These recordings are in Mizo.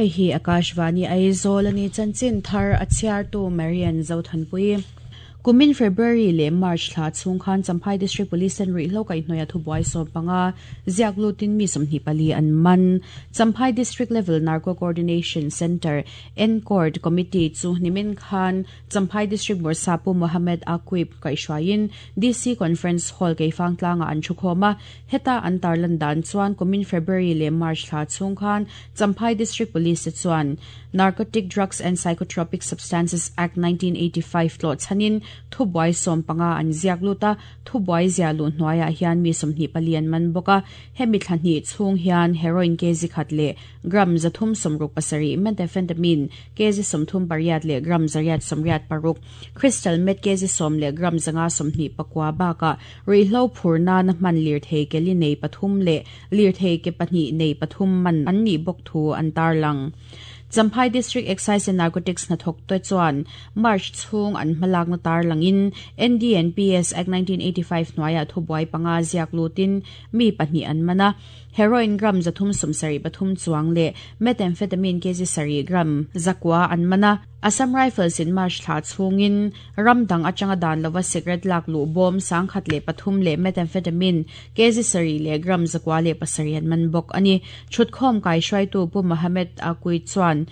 Hei hi Akashvani Aizawl a ni chanchin thar a chhiartu Marian Zothanpui. Kumin February leh March thla chhung khan Champhai District Police ten ruihhlo kaihhnawih a thubuai 15 ziak lutin mi 24 an man. Champhai District Level Narco Coordination Centre, NCORD, Committee chu nimin khan Champhai District Bawrhsa Pu Mohammed Aqib kaihhruaiin DC Conference Hall Keifang tlangah an thukhawm a. Heta an tarlan dan chuan kumin February leh March thla chhung khan Champhai District Police te chuan Narcotic Drugs and Psychotropic Substances Act 1985 tlawh chhanin thubuai 15 an ziak lut a, thubuai zia luh hnuaiah hian mi 24 an man bawk a. Hemi thla hnih chhung hian heroin kg khat leh gram 367, methamphetamine kg 38 leh gram 886, crystal meth kg 10 leh gram 529 bakah ruihhlo phur nana hman lirthei ke li nei pathum leh lirthei ke pahnih nei pathum man an nih bawk thu an tarlang. Champhai District Excise and Narcotics hnathawk te chuan March chhung an hmalakna tarlangin NDNPS Act 1985 hnuaiah thubuai panga ziak lutin mi pahnih an man a. Heroin gram 373 chuang leh methamphetamine kg 7 gram 900 an man a. Assam Rifles in March thla chhungin ram dang atanga dan lova cigarette lak luh bawm 103 leh methamphetamine kg 7 leh gram 907 an man bawk a ni. Thutkhawm kaihruaitu Pu Mohammed Aqui chuan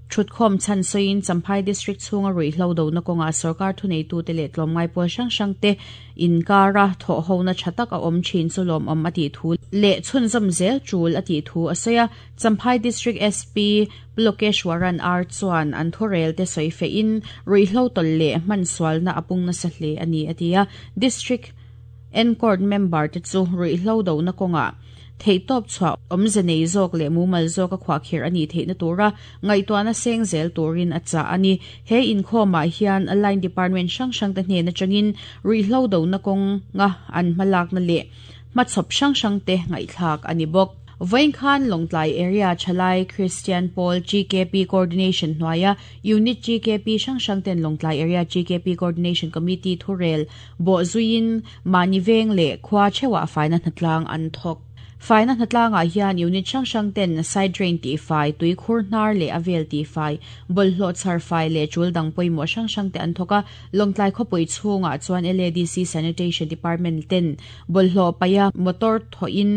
Thutkhawm chhan sawiin Champhai District chhunga ruihhlo dona kawngah sorkar thuneitute leh tlawmngai pawl hrang hrang te inkara thawhhona tha tak a awm thin chu lawmawm a tih thu leh chhunzawm zel tul a tih thu a sawi a. Champhai District SP Pulokeshwaran R chuan an thurel te sawi fehin ruihhlo tawlh leh hmansualna a pung nasa hle a ni a ti a. District Encourt member te chu ruihhlo dona kawngah theihtawp chhuah awmze nei zawk leh mumal zawk a khuahkhirh a nih theihna tura ngaihtuahna seng zel turin a chah a ni. He inkhawmah hian line department hrang hrang te hnen atangin ruihhlo dona kawnga an hmalakna leh hmachhawp hrang hrang te ngaihthlak a ni bawk. Vawiin khan Lawngtlai Area Thalai Christian Pawl GKP Coordination hnuaia Unit GKP hrang hrang ten Lawngtlai Area GKP Coordination Committee thurel bawh zuiin mahni veng leh khua theuhah faina hnatlang an thawk. Faina hnatlangah hian unit hrang hrang ten side drain tihfai, tuikhur hnar leh a vel tihfai, bawlhhlawh chhar fai leh tul dang pawimawh hrang hrang te an thawk a. Lawngtlai khawpui chhungah chuan LADC Sanitation Department ten bawlhhlawh paih a motor thawhin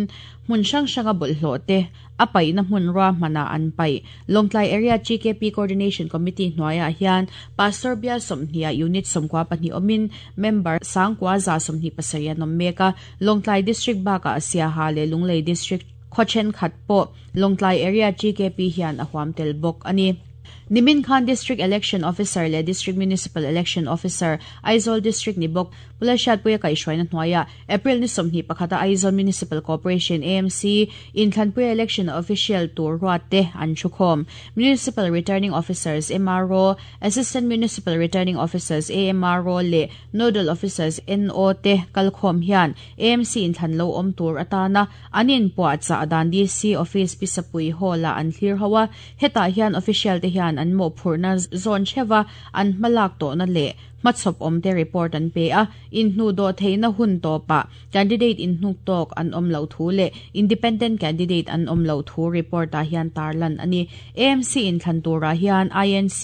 hmun hrang hranga bawlhhlawh te a paihna hmun ruahmanah an paih. Lawngtlai Area GKP Coordination Committee hnuaiah hian Pastor Bial 20 ah Unit 92 awmin member 9127 an awm mek a. Lawngtlai District bakah Siaha leh Lunglei District khaw thenkhat pawh Lawngtlai Area GKP hian a huam tel bawk a ni. Nimin khan District Election Officer leh District Municipal Election Officer, Aizawl District ni bawk Pula Hriatpuia kaihhruaina hnuaiah April ni 21 a Aizawl Municipal Corporation, AMC, inthlanpuia election official tur ruat te an thukhawm. Municipal Returning Officers, MRO, Assistant Municipal Returning Officers, AMRO, leh Nodal Officers, NO, te kalkhawm hian AMC inthlan lo awm tur atana an inpuahchah dan DC Office Pisapui Hall-ah an thlir ho a. Hetah hian official te hian an mawhphurhna zawn theuha an hmalak tawhna leh hmachhawp awm te report an pe a, inhnuh dawh theihna hun tawpah candidate inhnuk tawk an awm loh thu leh independent candidate an awm loh thu report ah hian tarlan a ni. AMC inthlan turah hian INC,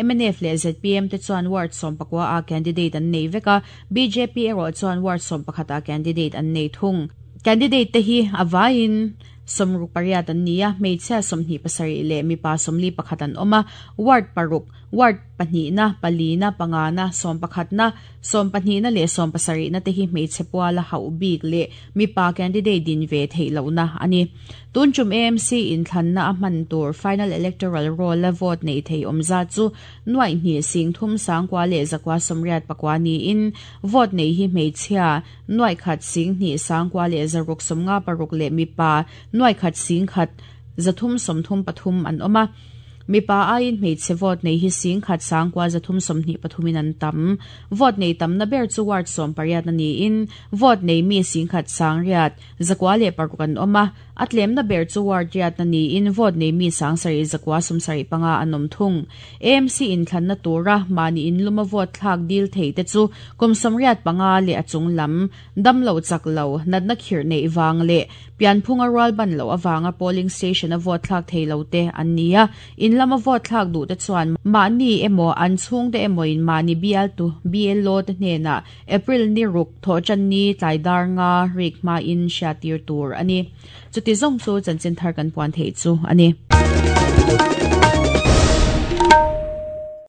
mnf leh zpm te chuan ward 19 ah candidate an nei vek a, bjp erawh chuan ward 11 ah candidate an nei thung. Candidate te hi a vaiin 68 an ni a, hmeichhia 27 leh mipa 41 an awm a, ward paruk, Ward pahnihna, palina, pangana, sawmpakhatna, sawmpahnihna leh sawmpasarihna te hi hmeichhe puala hauh bik leh mipa candidate din ve theih lohna a ni. Tun tum AMC inthlanna a hman tur final electoral roll a vote neih theih awm zat chu nuaih hnih sing thum sangkua leh zakua sawmriat pakua niin vote nei hi hmeichhia nuaih khat sing hnih sangkua leh zaruk sawmnga paruk leh mipa nuaih khat sing khat 333 an awm a. Mipa aiin hmeichhe vote nei hi sing khat sangkua 323 in an tam. Vote nei tamna ber chu ward 18 na niin vote nei mi sing khat sang riat zakua leh paruk an awm a. A tlemna ber chu ward riatna niin vote nei mi 7375 an awm thung. AMC inthlanna tura mahni inluma vote thlak dil thei te chu kum 85 leh a chung lam, damlo chak lo, natna khirh neih vang leh pianphunga rual ban loh avanga polling station a vote thlak thei lo te an ni a. In lama vote thlak duh te chuan mahni emaw an chhungte emaw in mahni bialtu, BLO, te hnenah April ni ruk thawhtanni tlai dar nga rik hmain hriattir tur a ni. Chuti zawng chu chanchin thar kan puan theih chu a ni.